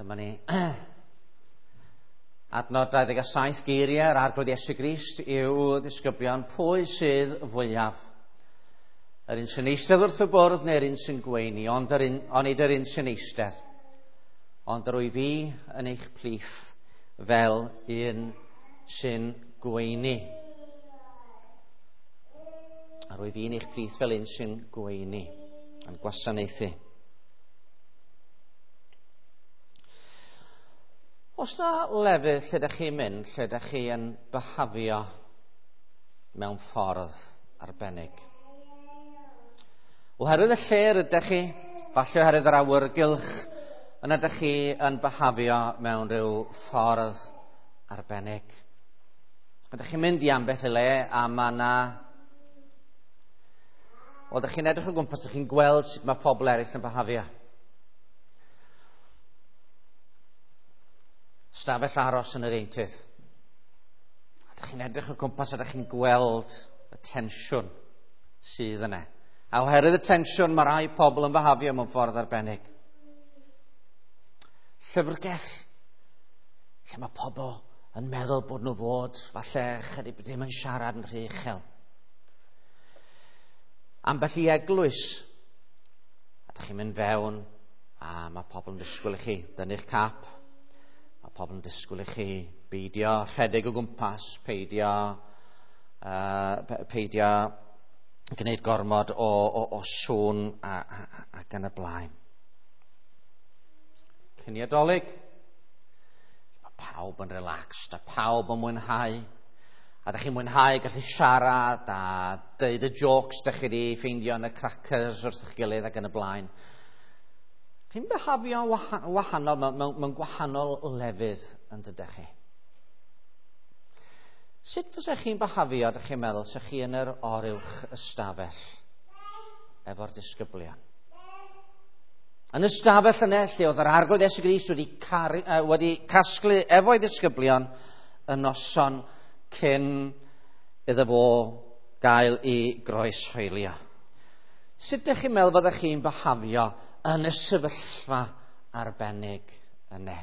Dyma ni. Adnod 27, geiriau yr Arglwydd Iesu Grist i'w ddisgyblion, pwy sydd fwyaf? Yr un sy'n eistedd wrth y bwrdd neu'r un sy'n gweini, ond yr un, onid yr un sy'n eistedd. Ond yr wyf fi yn eich plith fel un sy'n gweini. Yr wyf fi yn eich plith fel un sy'n gweini, yn gwasanaethu. Oes na lefydd lle ydych chi'n mynd, lle ydych chi yn byhafio mewn ffordd arbennig? Oherwydd y lle rydych chi, falle oherwydd yr awyrgylch, yna ydych chi yn byhafio mewn rhyw ffordd arbennig. Ydych chi'n mynd i ambell i le a mae yna... Wel, ydych chi'n edrych o gwmpas, ydych chi'n gweld sut mae pobl eraill yn byhafio. Stafell aros yn yr eintydd. A ydych chi'n edrych o gwmpas a ydych chi'n gweld y tensiwn sydd yna. A oherwydd y tensiwn, mae rai pobl yn byhafio mewn ffordd arbennig. Llyfrgell, lle mae pobl yn meddwl bod nhw fod, falle chydig ddim yn siarad yn rhy uchel. Ambell i eglwys, a ydych chi'n mynd fewn, a mae pobl yn disgwyl i chi dynnu'ch cap, mae pobl yn disgwyl i chi beidio rhedeg o gwmpas, peidio gwneud gormod o sŵn ac yn y blaen. Cinio Dolig, mae pawb yn relaxed a pawb yn mwynhau. A ydych chi'n mwynhau gallu siarad a deud y jokes ydych chi wedi ffeindio yn y crackers wrth eich gilydd ac yn y blaen. Chi'n byhafio wahanol mewn gwahanol lefydd yn dydych chi. Sut fysech chi'n byhafio, ydych chi'n meddwl, sech chi yn yr oruwch ystafell efo'r disgyblion? Yn y stafell yna, lle oedd yr Arglwydd Iesu Grist wedi casglu efo'i ddisgyblion y noson cyn iddo fo gael ei groeshoelio. Sut ydych chi'n meddwl fyddech chi'n byhafio yn y sefyllfa arbennig yna?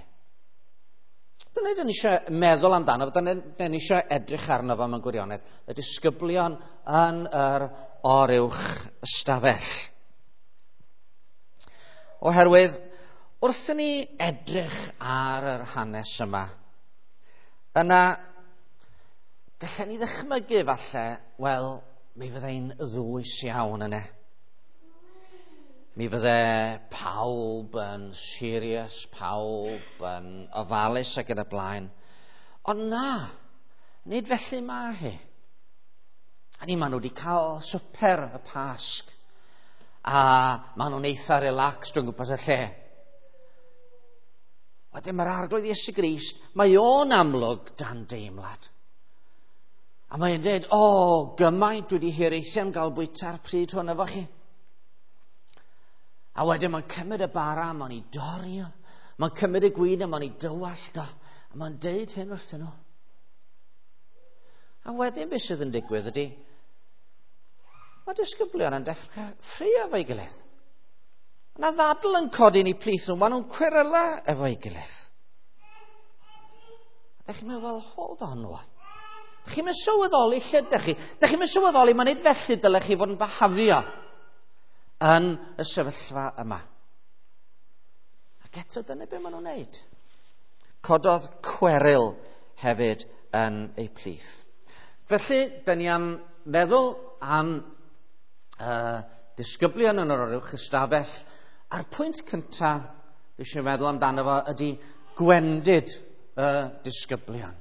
Dyna dyn ni eisiau meddwl amdano, dyna dyn ni eisiau edrych arno fo mewn gwirionedd, y disgyblion yn yr oruwch ystafell. Oherwydd, wrth i ni edrych ar yr hanes yma, yna gallen ni ddychmygu falle, wel, mi fyddai'n ddwys iawn yna. Mi fydde pawb yn serious, pawb yn ofalus ac yn y blaen. Ond na, nid felly mae hi. A ni, maen nhw wedi cael swper y Pasg. A maen nhw'n eitha relaxed o'n gwmpas y lle. Wedyn mae'r Arglwydd Iesu Grist, mae o'n amlwg dan deimlad. A mae'n dweud, o, gymaint dwi wedi hiraethu am gael bwyta'r pryd hwn efo chi. A wedyn mae'n cymryd y bara, mae'n ei dorri o, mae'n cymryd y gwin a mae'n ei dywallt o, a mae'n deud hyn wrthyn nhw. A wedyn beth sydd yn digwydd ydy, mae disgyblion yn dechrau ffraeo efo'i gilydd. Yna ddadl yn codi yn eu plith nhw, maen nhw'n cweryla efo'i gilydd. A dych chi'n meddwl, well, hold on rwan. Dych chi'n mynd sylweddoli lle dych chi. Dych chi'n mynd sylweddoli, mae'n nid felly dylech chi fod yn byhafio yn y sefyllfa yma. Ac eto dyna be maen nhw'n wneud. Cododd cweryl hefyd yn eu plith. Felly, dyn ni am feddwl am disgyblion yn yr oruwch ystafell. A'r pwynt cyntaf dwi eisiau meddwl amdano fo ydy gwendid y disgyblion.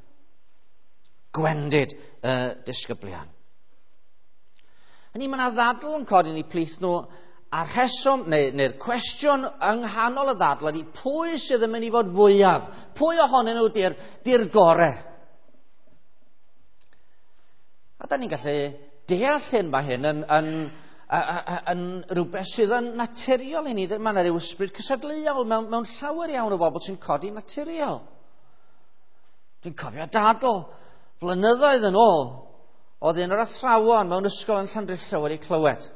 Gwendid y disgyblion. Hynny, mae yna ddadl yn codi yn eu plith nhw, a'r rheswm, neu'r cwestiwn yng nghanol y ddadl ydy pwy sydd yn mynd i fod fwyaf? Pwy ohonyn nhw di'r gore? A da ni'n gallu deall hyn, mae hyn yn rhywbeth sydd yn naturiol i ni. Mae yna ryw ysbryd cystadleuol mewn llawer iawn o bobl sy'n codi naturiol. Dwi'n cofio dadl flynyddoedd yn ôl, oedd un o'r athrawon mewn ysgol yn Llandrillo wedi clywed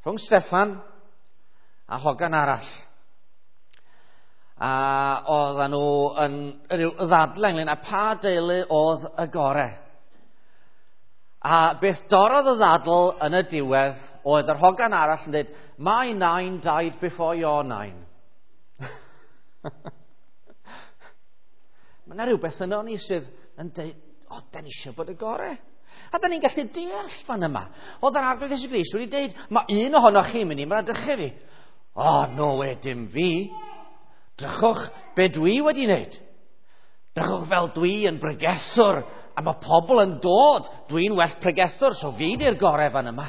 rhwng Steffan a hogan arall. A oedden nhw yn rhyw ddadle ynglyn â pa deulu oedd y gore. A beth dorrodd y ddadl yn y diwedd oedd yr hogan arall yn dweud, "My nine died before your nine." Mae yna rhywbeth yno ni sydd yn dweud, o, da ni eisiau bod y gore. A da ni'n gallu deall fan yma. Oedd yr Arglwydd Iesu Grist wedi dweud, mae un ohonoch chi'n mynd i mradychu fi. O, no we, dim fi. Drychwch be dwi wedi wneud. Drychwch fel dwi yn bregethwr, a mae pobl yn dod. Dwi'n well pregethwr, so fi di'r gorau fan yma.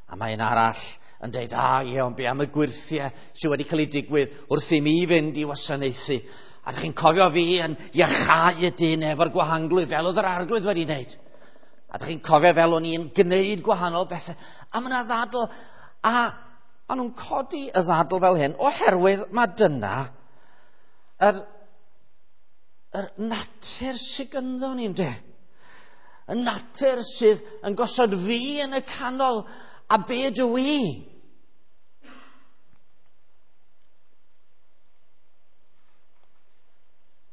A mae un arall yn dweud, a ie, ond be am y gwyrthiau sydd wedi cael ei digwydd wrth i mi fynd i wasanaethu. A ydych chi'n cofio fi yn iachau y dyn efo'r gwahanglwydd fel oedd yr Arglwydd wedi wneud. A ydych chi'n cofio fel o'n i'n gwneud gwahanol bethau. A mae yna ddadl, a maen nhw'n codi y ddadl fel hyn, oherwydd mae dyna yr natur sydd gynddo ni, ynde? Y natur sydd yn gosod fi yn y canol, a be dw i?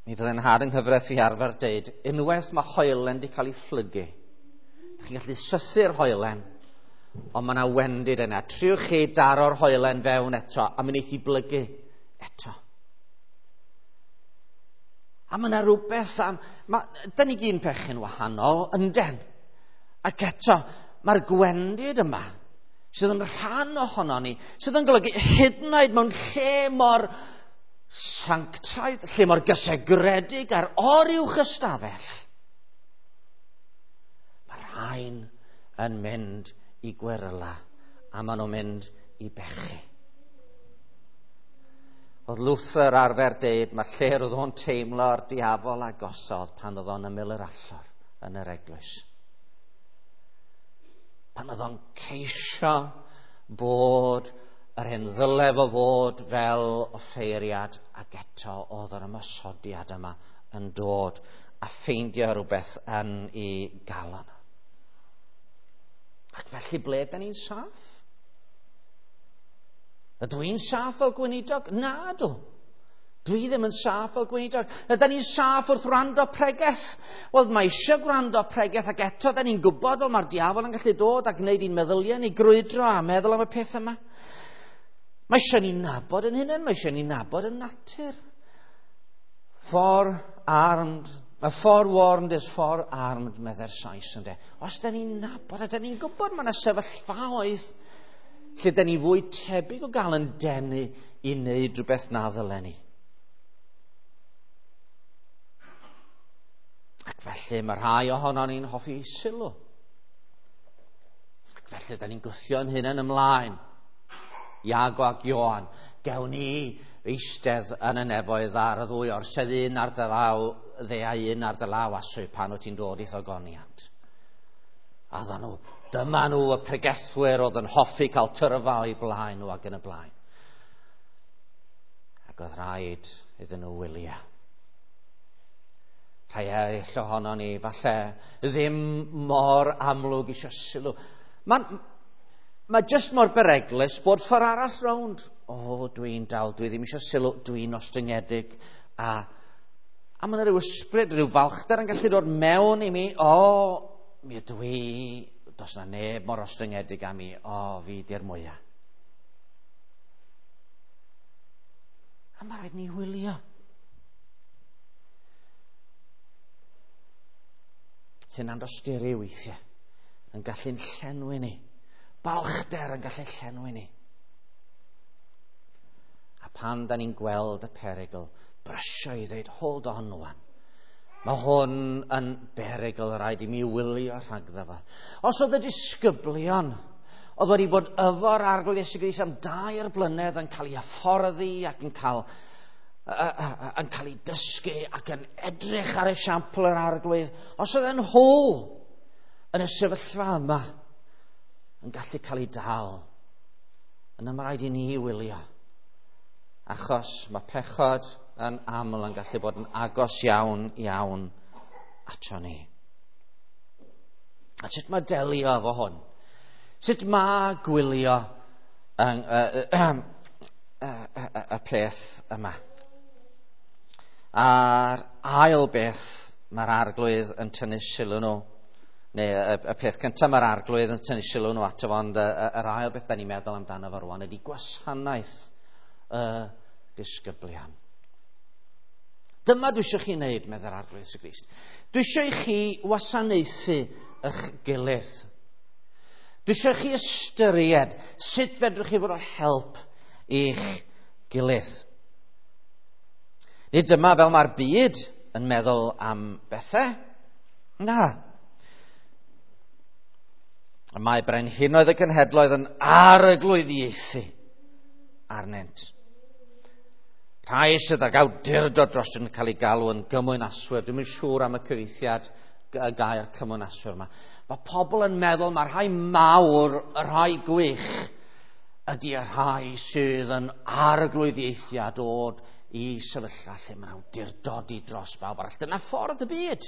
Mi fydde'n nhad yng nghyfraith i arfer deud, unwaith mae hoelen wedi cael ei phlygu, ydych chi'n gallu sythu'r hoelen, ond mae yna wendid yna. Triwch chi daro'r hoelen fewn eto, a mi wneith hi blygu eto. A mae yna rhywbeth am... Da ni gyd yn pechu'n wahanol, ynden. Ac eto, mae'r gwendid yma, sydd yn rhan ohono ni, sydd yn golygu hyd yn oed mewn lle mor sanctaidd, lle mor gysegredig ar oruwch ystafell, mae rhain yn mynd i gweryla, a maen nhw'n mynd i bechu. Oedd Luther arfer deud, mae lle roedd o'n teimlo'r diafol agosodd pan oedd o'n ymyl yr allor yn yr eglwys. Pan oedd o'n ceisio bod yr hyn ddyle fo fod fel offeiriad, ac eto oedd yr ymosodiad yma yn dod a ffeindio rhywbeth yn ei galon. Ac felly ble da ni'n saff? Ydw i'n saff fel gweinidog? Na dw. Dwi ddim yn saff fel gweinidog. Ydyn ni'n saff wrth wrando pregeth? Wel, mae eisiau gwrando pregeth, ac eto da ni'n gwybod fel mae'r diafol yn gallu dod a gwneud i'n meddyliau ni grwydro a meddwl am y peth yma. Mae eisiau ni nabod yn hunain, mae eisiau ni nabod yn natur. Forearmed, a forewarned is forearmed, medde'r Sais, ynde. Os da ni'n nabod, a da ni'n gwybod mae yna sefyllfaoedd lle da ni fwy tebyg o gael yn denu i wneud rhywbeth na ddylen ni. Ac felly mae rhai ohonon ni'n hoffi sylw. Ac felly da ni'n gwthio'n hunain ymlaen. Iago ac Ioan, gewn ni eistedd yn y nefoedd ar y ddwy orsedd, un ar dy law dde a un ar dy law aswy pan wyt ti'n dod i'th ogoniant. A dda nhw, dyma nhw y pregethwyr oedd yn hoffi cael tyrfa o'i blaen nhw ac yn y blaen. Ac oedd rhaid iddyn nhw wylio. Rhai eraill ohono ni, falle ddim mor amlwg eisiau sylw. Mae jyst mor bereglus bod ffordd arall rownd. O, dwi'n dal, dwi ddim eisiau sylw, dwi'n ostyngedig. A mae yna rhyw ysbryd, rhyw falchder yn gallu dod mewn i mi. O, mi ydw i, does na neb mor ostyngedig â mi. O, fi di'r mwyaf. A mae rhaid ni wylio. Hunandosturi weithiau yn gallu'n llenwi ni. Balchder yn gallu llenwi ni. A pan da ni'n gweld y perygl, brysio i ddweud, hold on wan. Mae hwn yn berygl, rhaid i mi wylio rhagddo fo. Os oedd y disgyblion oedd wedi bod efo'r Arglwydd Iesu Grist am 2 blynedd yn cael ei hyfforddi ac yn cael ei dysgu ac yn edrych ar esiampl yr Arglwydd, os oedd yn hôl yn y sefyllfa yma yn gallu cael ei dal, yna mae rhaid i ni wylio. Achos mae pechod yn aml yn gallu bod yn agos iawn, iawn ato ni. A sut mae delio efo hwn? Sut mae gwylio y peth yma. A'r ail beth mae'r Arglwydd yn tynnu sylw nhw, neu y peth cyntaf mae'r Arglwydd yn tynnu sylw nhw ato fo, ond yr ail beth da ni'n meddwl amdano fo rwan ydy gwasanaeth y disgyblion. Dyma dwi eisiau chi wneud, meddai'r Arglwydd Iesu Grist. Dwi eisiau i chi wasanaethu eich gilydd. Dwi eisiau chi ystyried sut fedrwch chi fod o help i'ch gilydd. Nid dyma fel mae'r byd yn meddwl am bethau. Na. Mae brenhinoedd y cenhedloedd yn arglwyddiaethu arnynt. Rhai sydd ag awdurdod dros yn cael ei galw yn gymwynaswyr. Dwi'm yn siŵr am y cyfieithiad y gair cymwynaswyr yma. Mae pobl yn meddwl mae'r rhai mawr, y rhai gwych, ydy y rhai sydd yn arglwyddiaethu a dod i sefyllfa lle mae'n awdurdodi dros bawb arall. Dyna ffordd y byd.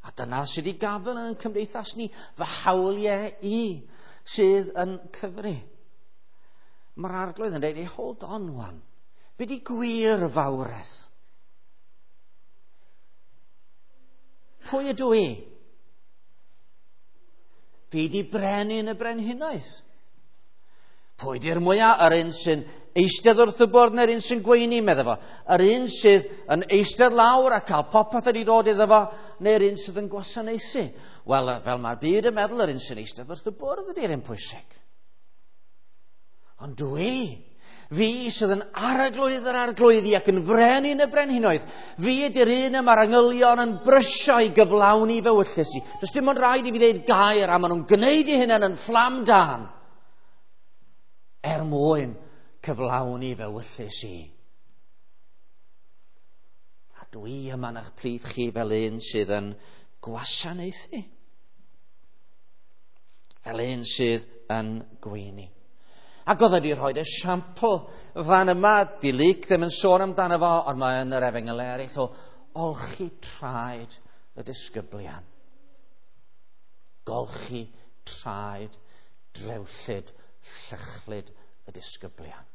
A dyna sydd i gafel yn cymdeithas ni, fy hawliau i sydd yn cyfri. Mae'r Arglwydd yn dweud, hey, hold on wan. Be di gwir fawredd? Pwy ydw i? Fi di brenin y brenhinoedd. Pwy di'r mwyaf? Yr un sy'n eistedd wrth y bwrdd neu'r un sy'n gweini, medda fo. Yr un sydd yn eistedd lawr a cael popeth wedi dod iddo fo, neu'r un sydd yn gwasanaethu. Wel, fel mae'r byd yn meddwl, yr un sy'n eistedd wrth y bwrdd ydy'r un pwysig. Ond dwi, fi sydd yn arglwydd yr arglwyddi ac yn frenin y brenhinoedd, fi ydy'r un y mae'r angylion yn brysio i gyflawni fy ewyllys i. Does dim ond rhaid i fi ddeud gair a maen nhw'n gwneud eu hunain yn fflam dân er mwyn cyflawni fy ewyllys i. A dwi yma yn eich plith chi fel un sydd yn gwasanaethu. Fel un sydd yn gweini. Ac oedd wedi rhoi esiampl fan yma, di Luc ddim yn sôn amdano fo, ond mae yn yr efengyl eraill o olchi traed y disgyblion. Golchi traed drewllyd, llychlyd y disgyblion.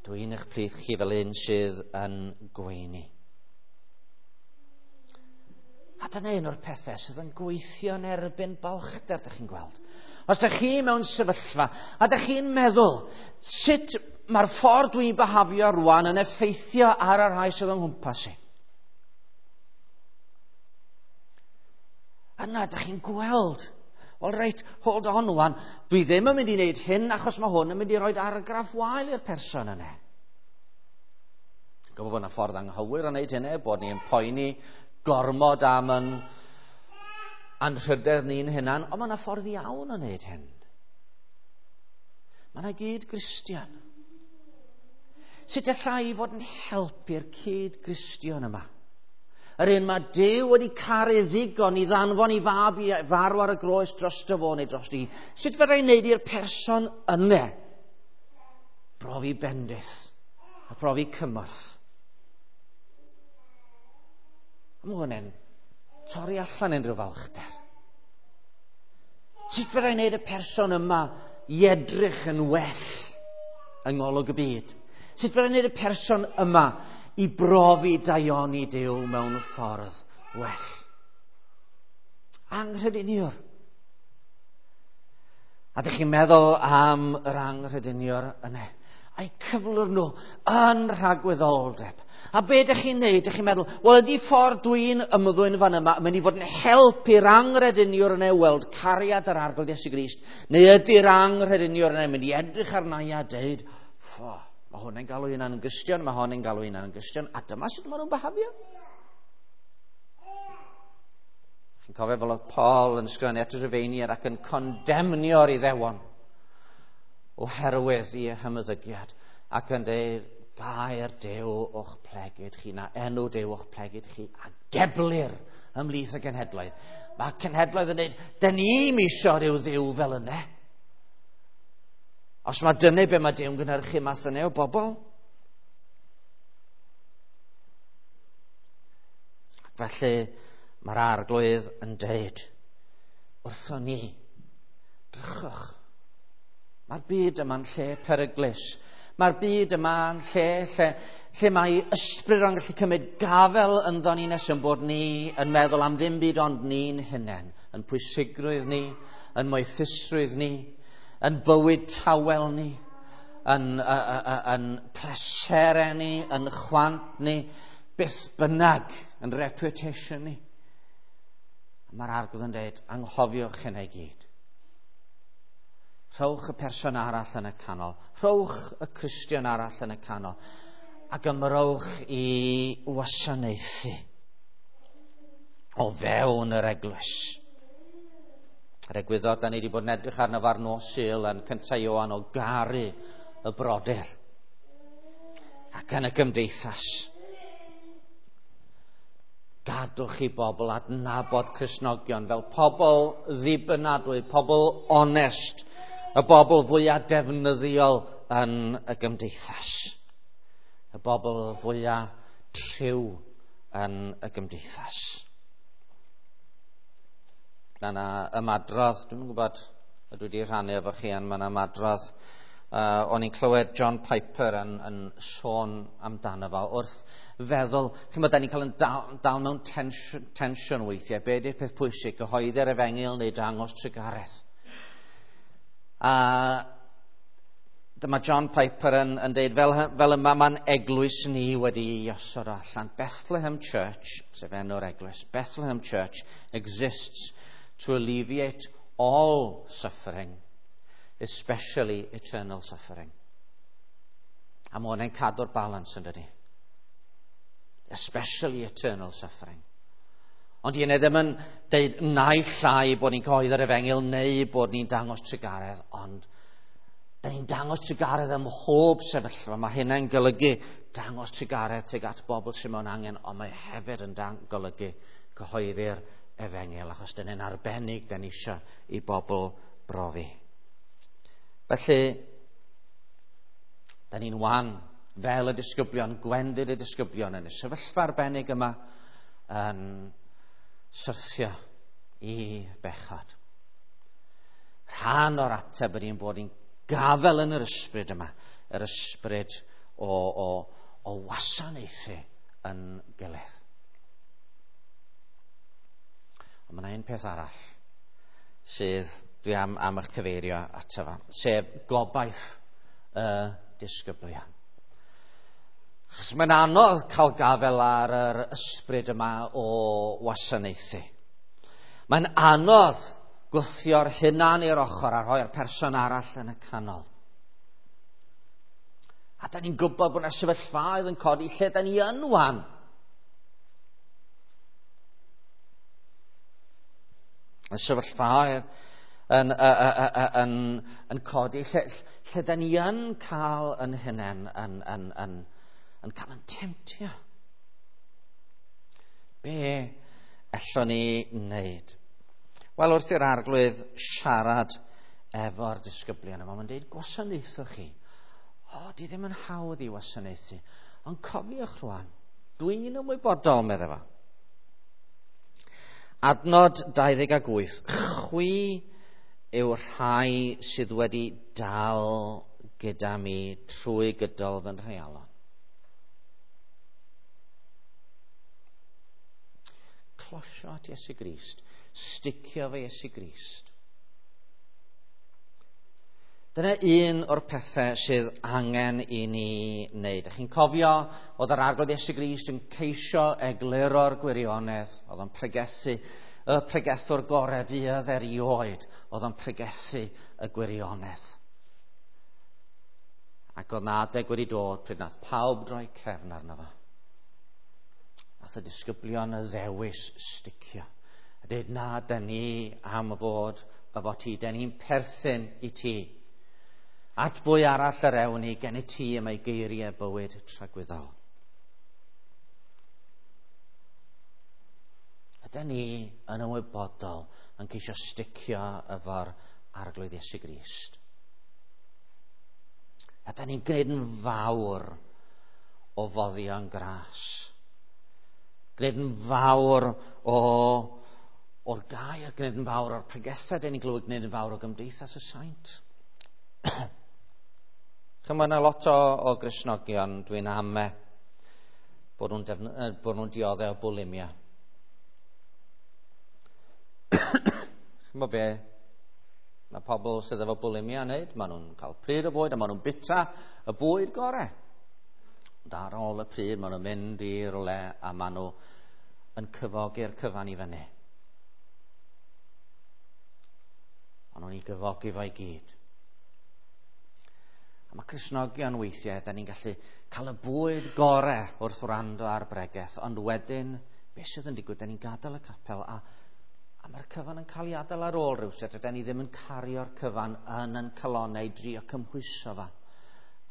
Dwi'n eich plith chi fel un sydd yn gweini. A dyna un o'r pethau sydd yn gweithio yn erbyn balchder, dych chi'n gweld. Os ydych chi mewn sefyllfa, a ydych chi'n meddwl, sut mae'r ffordd dwi'n byhafio rwan yn effeithio ar y rhai sydd yng nghwmpas i? Yna, ydych chi'n gweld, wel reit, hold on rwan, dwi ddim yn mynd i wneud hyn achos mae hwn yn mynd i roi argraff wael i'r person yna. Dwi'n gwybod bod yna ffordd anghywir o wneud hynny, bod ni'n poeni gormod am yn anrhydedd ni'n hunan, ond mae yna ffordd iawn o wneud hyn. Mae yna gyd-Gristion. Sut allai i fod yn helpu'r cyd-Gristion yma? Yr un mae Duw wedi caru ddigon i ddanfon i fab i farw ar y groes drosto fo neu drosti hi. Sut fydda i'n wneud i'r person yna brofi bendith a profi cymorth? A mae hwn yn torri allan unrhyw falchder. Sut fydda i'n wneud y person yma i edrych yn well yng ngolwg y byd? Sut fydda i'n wneud y person yma i brofi daioni Duw mewn ffordd well? Anghrediniwr. A dych chi'n meddwl am yr anghrediniwr yna, a'i cyflwr nhw yn rhagwyddoldeb. A be dych chi'n neud? Dych chi'n meddwl, wel ydy ffordd dwi'n ymddwyn fan yma yn mynd i fod yn help i'r anghrediniwr yna weld cariad yr Arglwydd Iesu Grist, neu ydy'r anghrediniwr yna yn mynd i edrych arna i a deud, ffo, mae hwn yn galw hunan yn Gristion, mae hwn yn galw hunan yn Gristion, a dyma sut maen nhw'n byhafio. Chi'n cofio fel oedd Paul yn ysgrifennu at y Rhufeiniaid ac yn condemnio'r Iddewon oherwydd i hymddygiad ac yn dweud, gair Duw o'ch plegid chi, na enw Duw o'ch plegid chi, a geblir ymhlith y genhedloedd. Mae cenhedloedd yn dweud, dyn ni'm isio rhyw dduw fel yna. Os mae dyna be mae Duw'n gynhyrchu math yna o bobl. Ac felly mae'r Arglwydd yn dweud, wrthon ni, drychwch, mae'r byd yma'n lle peryglus. Mae'r byd yma'n lle mae ysbryd o'n gallu cymryd gafel ynddo ni nes yn bod ni yn meddwl am ddim byd ond ni'n hunain, yn pwysigrwydd ni, yn moethusrwydd ni, yn bywyd tawel ni, yn pleserau ni, yn chwant ni, beth bynnag, yn reputation ni. Mae'r Arglwydd yn dweud, anghofiwch hynna i gyd. Rhowch y person arall yn y canol. Rhowch y Cristion arall yn y canol. Ac ymrowch i wasanaethu o fewn yr eglwys. Yr egwyddor da ni wedi bod yn edrych arno fo ar nos Sul yn 1 Ioan o garu y brodyr ac yn y gymdeithas. Gadwch i bobl adnabod Cristnogion fel pobl ddibynadwy, pobl onest, y bobl fwyaf defnyddiol yn y gymdeithas, y bobl fwyaf triw yn y gymdeithas. Mae yna ymadrodd, dwi'm yn gwybod ydw i wedi rhannu efo chi, ond mae yna ymadrodd. O'n i'n clywed John Piper yn sôn amdano fo wrth feddwl, chimod, da ni'n cael yn dal mewn tensiwn weithiau, be ydy'r peth pwysig, gyhoeddi'r efengyl neu dangos trugaredd. A dyma John Piper yn deud, fel yma mae'n eglwys ni wedi ei osod allan. Bethlehem Church, sef enw'r eglwys, Bethlehem Church exists to alleviate all suffering, especially eternal suffering. A mae hwnna'n cadw'r balans yn dydi. Especially eternal suffering. Ond i ddim yn deud naill ai bod ni'n cyhoeddi'r efengyl neu bod ni'n dangos trugaredd, ond da ni'n dangos trugaredd ym mhob sefyllfa. Mae hynna'n golygu dangos trugaredd tuag at bobl sydd mewn angen, ond mae hefyd yn golygu cyhoeddi'r efengyl, achos dyna'n arbennig da ni eisiau i bobl brofi. Felly, da ni'n wan fel y disgyblion, gwendid y disgyblion yn y sefyllfa arbennig yma yn syrthio i bechod. Rhan o'r ateb ydy'n bod ni'n gafel yn yr ysbryd yma, yr ysbryd o wasanaethu yn gilydd. Ond mae yna un peth arall sydd dwi am eich cyfeirio ato fo, sef gobaith y disgyblion. Achos mae'n anodd cael gafel ar yr ysbryd yma o wasanaethu. Mae'n anodd gwthio'r hunan i'r ochr a rhoi'r person arall yn y canol. A da ni'n gwybod bod yna sefyllfaoedd yn codi lle da ni yn wan. Y sefyllfaoedd yn codi lle da ni yn cael yn hunain yn cael yn temtio. Be allwn ni wneud? Wel, wrth i'r Arglwydd siarad efo'r disgyblion yma, mae'n dweud, gwasanaethwch chi. O, di ddim yn hawdd i wasanaethu. Ond cofiwch rwan, dwi'n ymwybodol, meddai fo. Adnod 28, chwi yw'r rhai sydd wedi dal gyda mi trwy gydol fy nhreialon. Closio at Iesu Grist, sticio fe Iesu Grist. Dyna un o'r pethau sydd angen i ni wneud. Ych chi'n cofio, oedd yr Arglwydd Iesu Grist yn ceisio egluro'r gwirionedd, oedd o'n pregethu, y pregethwr gorau fuodd erioed, oedd o'n pregethu y gwirionedd. Ac oedd na adeg wedi dod pryd nath pawb droi cefn arno fo. Nath y disgyblion y ddewis sticio. A dweud, na, da ni am fod efo ti, da ni'n perthyn i ti. At bwy arall yr ewn ni, gen i ti y mae geiriau bywyd tragwyddol. Ydy ni yn ymwybodol yn ceisio sticio efo'r Arglwydd Iesu Grist? Ydy ni'n gwneud yn fawr o foddion gras? Gwneud yn fawr o o'r gair, gwneud yn fawr o'r pregethau, dyn ni'n glywed, gwneud yn fawr o gymdeithas y saint. Chymod, yna lot o Gristnogion, dwi'n ame, bod nhw'n dioddef o bwlimia. Chymod be? Mae pobl sydd efo bwlimia yn neud, maen nhw'n cael pryd o bwyd a maen nhw'n bita y bwyd gorau. Ond ar ôl y pryd, maen nhw'n mynd i rywle a maen nhw yn cyfogi'r cyfan i fyny. Maen nhw'n ei gyfogi fo i gyd. A mae Cristnogion weithiau, da ni'n gallu cael y bwyd gorau wrth wrando ar bregeth, ond wedyn, beth sydd yn digwydd, da ni'n gadael y capel a mae'r cyfan yn cael ei adael ar ôl rhywsut, a da ni ddim yn cario'r cyfan yn calonau i drio cymhwyso fo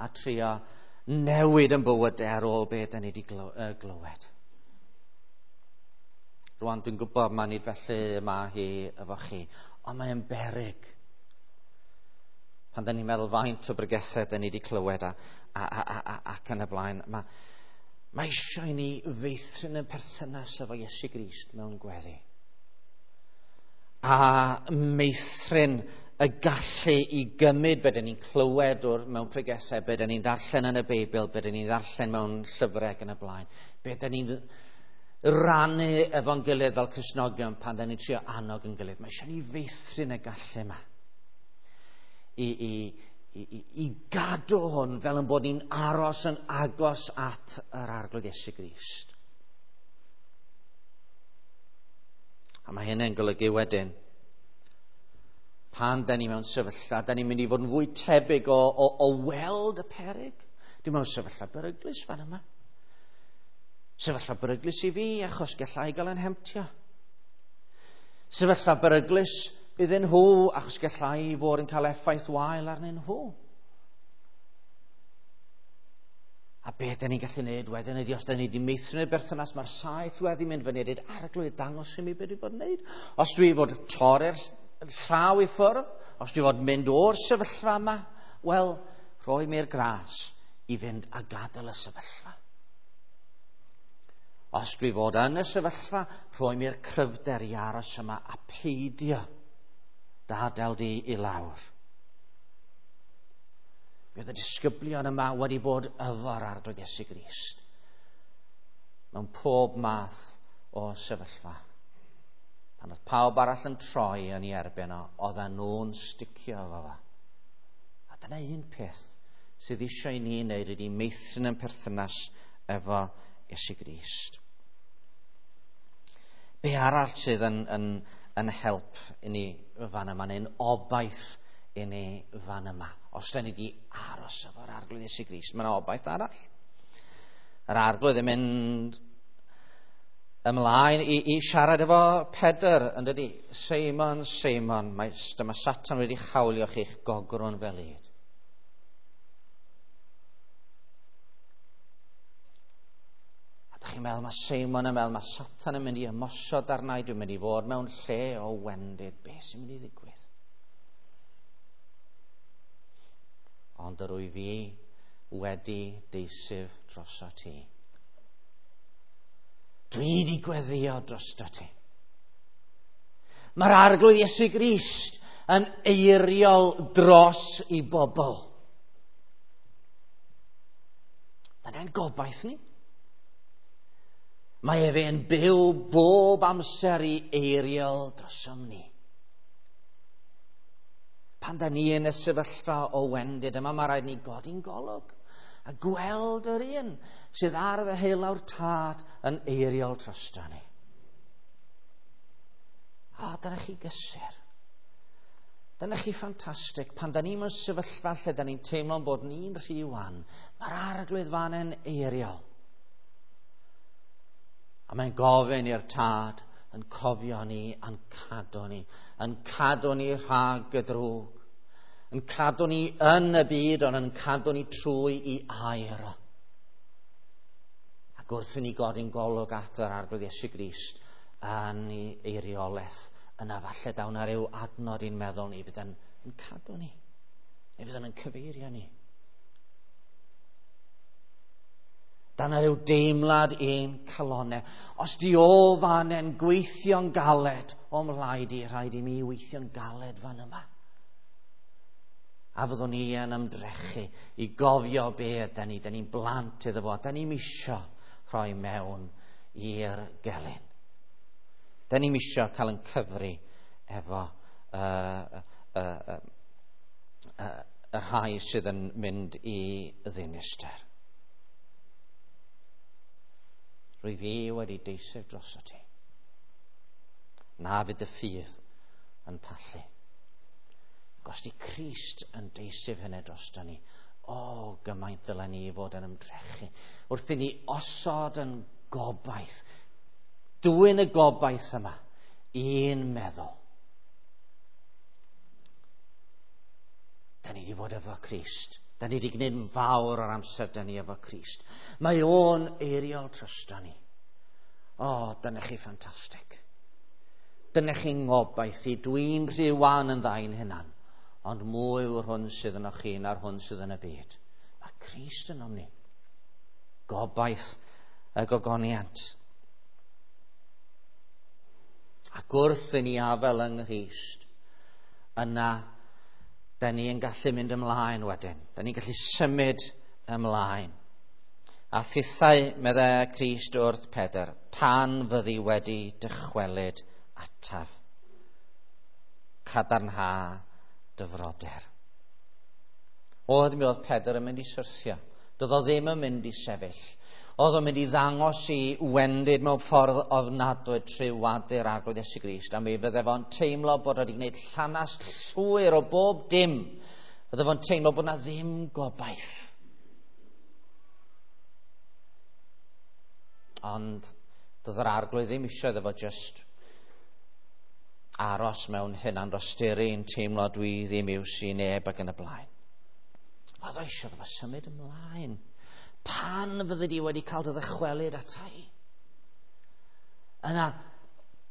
a trio newid yn bywydau ar ôl beth da ni wedi glywed. Rwan dwi'n gwybod mae nid felly mae hi efo chi, ond mae'n beryg. Pan da ni'n meddwl faint o bregethau da ni wedi clywed ac yn y blaen, mae eisiau i ni feithrin yn perthynas efo Iesu Grist mewn gweddi. A meithrin y gallu i gymryd be dyn ni'n clywed mewn pregethau, be dyn ni'n ddarllen yn y Beibl, be dyn ni'n ddarllen mewn llyfrau ac yn y blaen, be dyn ni'n rannu efo'n gilydd fel Cristnogion pan dyn ni'n trio annog yn gilydd. Mae eisiau ni feithrin y gallu yma i gadw hwn fel yn bod ni'n aros yn agos at yr Arglwydd Iesu Grist. A mae hynny'n golygu wedyn, pan da ni mewn sefyllfa, da ni'n mynd i fod yn fwy tebyg o weld y peryg. Dwi'n mewn sefyllfa beryglus fan yma. Sefyllfa beryglus i fi, achos gallai gael yn hemtio. Sefyllfa beryglus iddyn nhw, achos gallai fod yn cael effaith wael arnyn nhw. A be da ni'n gallu neud wedyn ydy, os da ni wedi meithrin y berthynas, mae'r saeth wedi mynd fyny a dweud, Arglwydd, dangos i mi beth dwi fod yn neud. Os dwi fod torri'r llaw i ffwrdd, os dwi fod mynd o'r sefyllfa yma, wel, rhoi mi'r gras i fynd a gadael y sefyllfa. Os dwi fod yn y sefyllfa, rhoi mi'r cryfder i aros yma a peidio dadael di i lawr. Bydd y disgyblion yma wedi bod efo'r Arglwydd Iesu Grist mewn pob math o sefyllfa. Pan oedd pawb arall yn troi yn ei erbyn o, oedden nhw'n sticio efo fo. A dyna un peth sydd eisiau i ni wneud ydy meithrin yn perthynas efo Iesu Grist. Be arall sydd yn help i ni fan yma, neu'n obaith i ni fan yma? Os da ni wedi aros efo'r Arglwydd Iesu Grist, mae yna obaith arall. Yr Arglwydd yn mynd ymlaen i siarad efo Pedr, yn dydi? Seimon, Seimon, dyma Satan wedi chawlio chi'ch gogrwn fel ŷd. A dych chi'n meddwl, mae Seimon yn meddwl, mae Satan yn mynd i ymosod arna i, dwi'n mynd i fod mewn lle o wendid. Be sy'n mynd i ddigwydd? Ond yr wyf fi wedi deisyf droso ti. Dwi wedi gweddio drosto ti. Mae'r Arglwydd Iesu Grist yn eiriol dros i bobl. Dyna'n gobaith ni. Mae efe yn byw bob amser i eiriol drosom ni. Pan da ni yn y sefyllfa o wendid yma, mae rhaid ni godi'n golwg a gweld yr un sydd ar ddeheulaw'r Tad yn eiriol drosto ni. A dyna chi gysur. Dyna chi ffantastig. Pan da ni mewn sefyllfa lle da ni'n teimlo'n bod ni'n rhy wan, mae'r Arglwydd fan yn eiriol. A mae'n gofyn i'r Tad yn cofio ni, yn cadw ni, yn cadw ni rhag y drwg, yn cadw ni yn y byd, ond yn cadw ni trwy i air. Ac wrth i ni godi'n golwg at yr Arglwydd Iesu Grist yn ei eiriolaeth, yna falle daw na ryw adnod i'n meddwl ni fydd yn cadw ni, neu fydd yn cyfeirio ni. Dan ryw deimlad ein calonau. Os di o fan yn gweithio'n galed o mlaid i, rhaid i mi weithio'n galed fan yma. A fyddwn ni yn ymdrechu i gofio be ydy ni. Da ni'n blant iddo fo. Da ni'n misio rhoi mewn i'r gelyn. Da ni'n misio cael yn cyfri efo y rhai sydd yn mynd i ddinister. Rwy fi wedi deiseb droso ti. Na fydd y ffydd yn pallu. Ac os di Crist yn deiseb hynny drosto ni, o, gymaint ddylen ni fod yn ymdrechu. Wrth i ni osod yn gobaith, dwyn y gobaith yma, un meddwl. Da ni wedi bod efo Crist. Da ni wedi gwneud yn fawr o'r amser da ni efo Crist. Mae o'n eiriol drosto ni. O, dyna chi ffantastig. Dyna chi'n ngobaith i. Dwi'n rhy wan yn ddain hynna'n. Ond mwy yw'r hwn sydd yno chi na'r hwn sydd yn y byd. Mae Crist ynom ni. Gobaith y gogoniant. Ac wrth i ni afel yng Nghrist, yna da ni yn gallu mynd ymlaen wedyn. Da ni'n gallu symud ymlaen. A thithau, meddai Crist wrth Pedr, pan fyddi wedi dychwelyd ataf, cadarnha dy frodyr. Oedd mi oedd Pedr yn mynd i syrthio. Doedd o ddim yn mynd i sefyll. Oedd o'n mynd i ddangos i wendid mewn ffordd ofnadwy trwy wadu'r Arglwydd Iesu Grist. A mi fydde fo'n teimlo bod wedi gwneud llanast llwyr o bob dim. Fydde fo'n teimlo bod na ddim gobaith. Ond doedd yr Arglwydd ddim eisiau iddo fo just aros mewn hunan dosturi yn teimlo dwi ddim iws i neb ac yn y blaen. Oedd o eisiau iddo fo symud ymlaen. Pan fyddi di wedi cael dy ddychwelyd ata i? Yna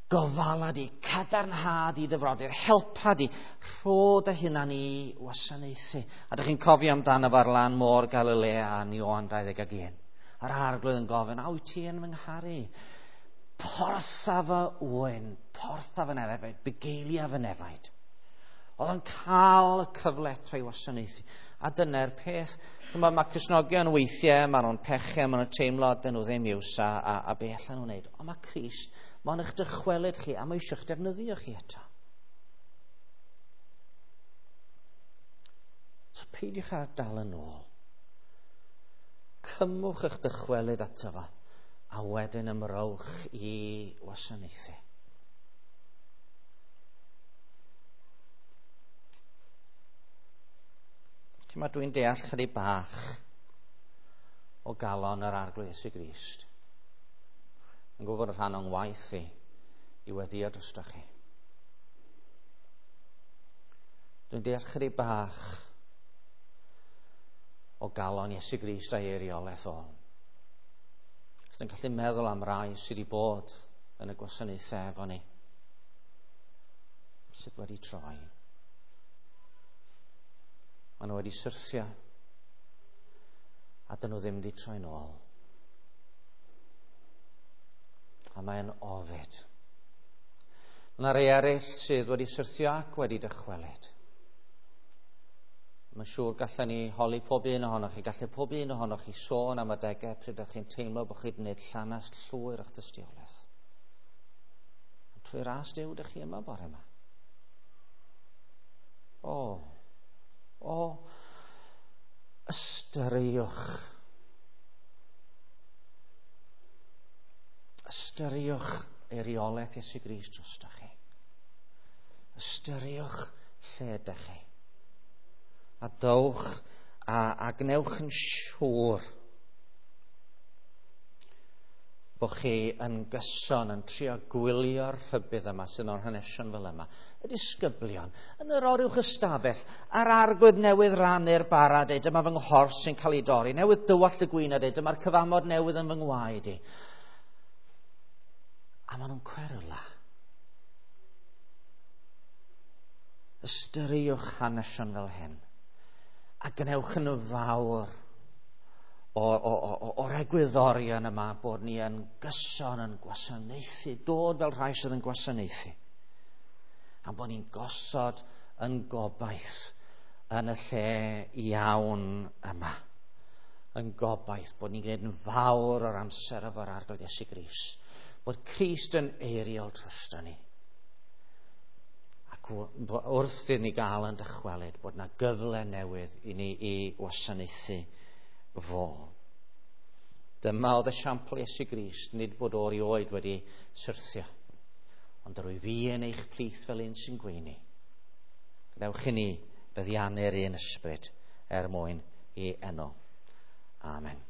gofala di, cadarnhad i dy frodyr, helpa di, rho dy hunan i wasanaethu. A dych chi'n cofio amdano fo ar lan môr Galilea yn Ioan 21. A'r Arglwydd yn gofyn, a wyt ti yn fy ngharu? Portha fy ŵyn, portha fy nefaid, bugeilia fy nefaid. Oedd o'n cael y cyfle eto i wasanaethu. A dyna'r peth. Chymod, mae Cristnogion weithiau, maen nhw'n pechu, maen nhw'n teimlo dyn nhw ddim iws a be allan nhw'n wneud. Ond mae Crist, mae'n eich dychwelyd chi a mae eisiau'ch defnyddio chi eto. So peidiwch â dal yn ôl. Cymwch eich dychwelyd ato fo a wedyn ymrowch i wasanaethu. Mae dwi'n deall chydig bach o galon yr Arglwydd Iesu Grist. Yn gwybod y rhan o'n waith i weddio drosto chi. Dwi'n deall chydig bach o galon Iesu Grist a'i eiriolaeth o. Os dwi'n gallu meddwl am rai sydd wedi bod yn y gwasanaethau efo ni, sydd wedi troi. Maen nhw wedi syrthio a dyn nhw ddim wedi troi'n ôl. A mae'n ofid. Mae rhai eraill sydd wedi syrthio ac wedi dychwelyd. Mae'n siŵr gallen ni holi pob un ohonoch chi, gallu pob un ohonoch chi sôn am adegau pryd ydych chi'n teimlo bod chi wedi gwneud llanast llwyr o'ch dystiolaeth. Ond trwy ras Duw ydych chi yma bore yma. O, ystyriwch. Ystyriwch eiriolaeth Iesu Grist drostoch chi. Ystyriwch lle ydych chi. A dowch a gwnewch yn siŵr bod chi yn gyson yn trio gwylio'r rhybudd yma sydd mewn hanesion fel yma. Y disgyblion yn yr oruwch ystafell a'r Arglwydd newydd rannu'r bara, deud, dyma fy nghorff sy'n cael ei dorri, newydd dywallt y gwin a deud, dyma'r cyfamod newydd yn fy ngwaed i. A maen nhw'n cweryla. Ystyriwch hanesion fel hyn a gwnewch yn fawr o'r egwyddorion yma bod ni yn gyson yn gwasanaethu, dod fel rhai sydd yn gwasanaethu. A bod ni'n gosod yn gobaith yn y lle iawn yma. Yn gobaith bod ni'n gwneud yn fawr o'r amser efo'r Arglwydd Iesu Grist. Bod Crist yn eiriol drosto ni. Ac wrth i ni gael yn dychwelyd bod yna gyfle newydd i ni i wasanaethu fo. Dyma oedd esiampl Iesu Grist, nid bod o erioed wedi syrthio, ond rwy fi yn eich plith fel un sy'n gweini. Gadewch i ni feddiannu'r un ysbryd er mwyn i enw. Amen.